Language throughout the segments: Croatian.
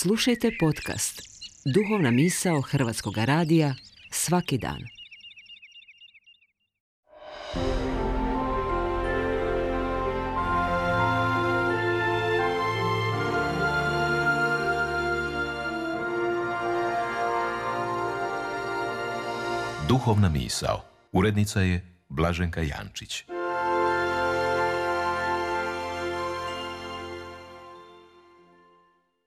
Slušajte podcast Duhovna misao Hrvatskog radija svaki dan. Duhovna misao. Urednica je Blaženka Jančić.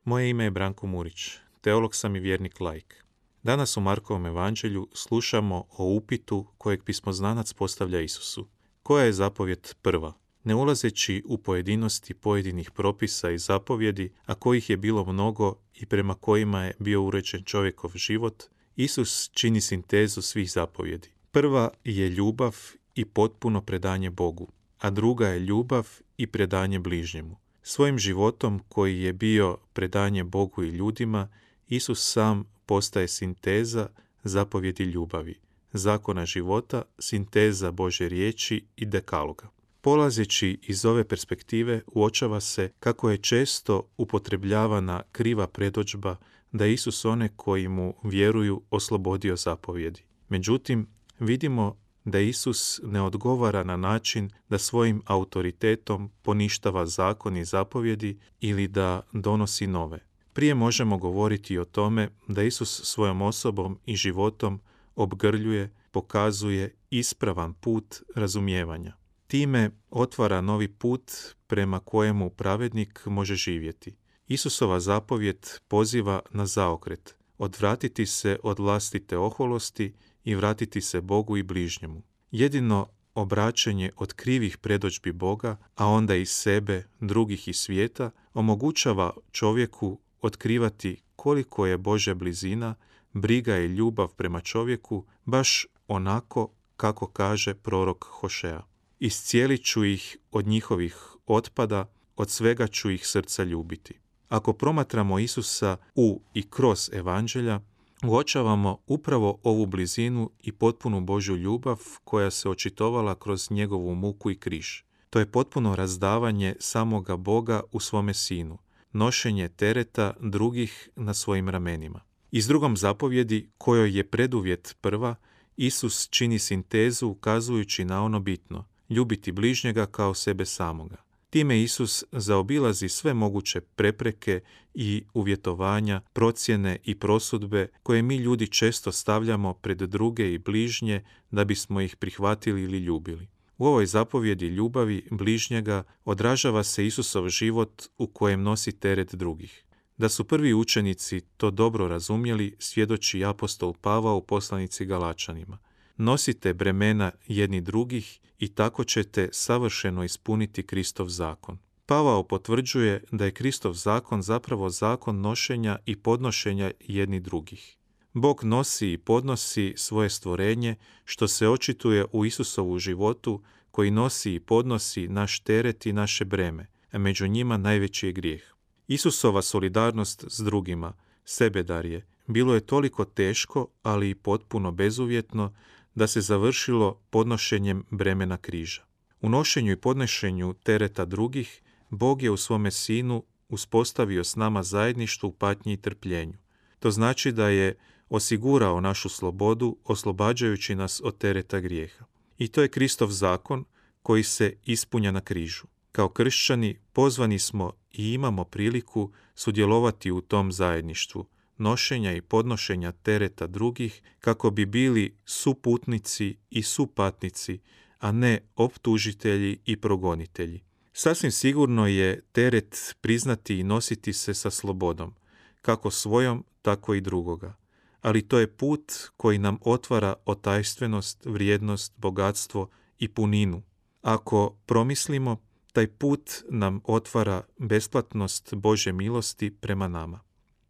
Moje ime je Branko Murić, teolog sam i vjernik laik. Danas u Markovom evanđelju slušamo o upitu kojeg pismoznanac postavlja Isusu. Koja je zapovijed prva? Ne ulazeći u pojedinosti pojedinih propisa i zapovjedi, a kojih je bilo mnogo i prema kojima je bio uređen čovjekov život, Isus čini sintezu svih zapovjedi. Prva je ljubav i potpuno predanje Bogu, a druga je ljubav i predanje bližnjemu. Svojim životom koji je bio predanje Bogu i ljudima, Isus sam postaje sinteza zapovjedi ljubavi, zakona života, sinteza Božje riječi i dekaloga. Polazeći iz ove perspektive uočava se kako je često upotrebljavana kriva predodžba da Isus one koji mu vjeruju oslobodio zapovjedi. Međutim, vidimo da Isus ne odgovara na način da svojim autoritetom poništava zakon i zapovjedi ili da donosi nove. Prije možemo govoriti o tome da Isus svojom osobom i životom obgrljuje, pokazuje ispravan put razumijevanja. Time otvara novi put prema kojemu pravednik može živjeti. Isusova zapovjed poziva na zaokret, odvratiti se od vlastite oholosti i vratiti se Bogu i bližnjemu. Jedino obraćanje od krivih predodžbi Boga, a onda i sebe, drugih i svijeta, omogućava čovjeku otkrivati koliko je Božja blizina, briga i ljubav prema čovjeku, baš onako kako kaže prorok Hošea. Iscijelit ću ih od njihovih otpada, od svega ću ih srca ljubiti. Ako promatramo Isusa u i kroz evanđelja, uočavamo upravo ovu blizinu i potpunu Božju ljubav koja se očitovala kroz njegovu muku i križ. To je potpuno razdavanje samoga Boga u svome sinu, nošenje tereta drugih na svojim ramenima. Iz drugom zapovjedi, kojoj je preduvjet prva, Isus čini sintezu ukazujući na ono bitno, ljubiti bližnjega kao sebe samoga. Time Isus zaobilazi sve moguće prepreke i uvjetovanja, procjene i prosudbe koje mi ljudi često stavljamo pred druge i bližnje da bismo ih prihvatili ili ljubili. U ovoj zapovjedi ljubavi bližnjega odražava se Isusov život u kojem nosi teret drugih. Da su prvi učenici to dobro razumjeli, svjedoči apostol Pavao u poslanici Galačanima. Nosite bremena jedni drugih i tako ćete savršeno ispuniti Kristov zakon. Pavao potvrđuje da je Kristov zakon zapravo zakon nošenja i podnošenja jedni drugih. Bog nosi i podnosi svoje stvorenje, što se očituje u Isusovu životu, koji nosi i podnosi naš teret i naše breme, a među njima najveći je grijeh. Isusova solidarnost s drugima, sebedarje, bilo je toliko teško, ali i potpuno bezuvjetno, da se završilo podnošenjem bremena križa. U nošenju i podnošenju tereta drugih, Bog je u svome sinu uspostavio s nama zajedništvo u patnji i trpljenju. To znači da je osigurao našu slobodu, oslobađajući nas od tereta grijeha. I to je Kristov zakon koji se ispunja na križu. Kao kršćani pozvani smo i imamo priliku sudjelovati u tom zajedništvu, nošenja i podnošenja tereta drugih kako bi bili suputnici i supatnici, a ne optužitelji i progonitelji. Sasvim sigurno je teret priznati i nositi se sa slobodom, kako svojom, tako i drugoga. Ali to je put koji nam otvara otajstvenost, vrijednost, bogatstvo i puninu. Ako promislimo, taj put nam otvara besplatnost Božje milosti prema nama.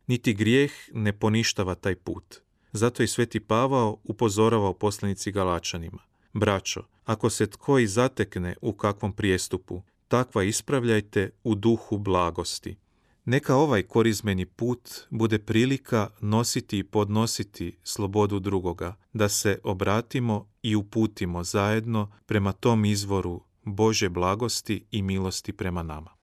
Niti grijeh ne poništava taj put. Zato i sveti Pavao upozorava u poslanici Galačanima. Braćo, ako se tko i zatekne u kakvom prijestupu, takva ispravljajte u duhu blagosti. Neka ovaj korizmeni put bude prilika nositi i podnositi slobodu drugoga, da se obratimo i uputimo zajedno prema tom izvoru Božje blagosti i milosti prema nama.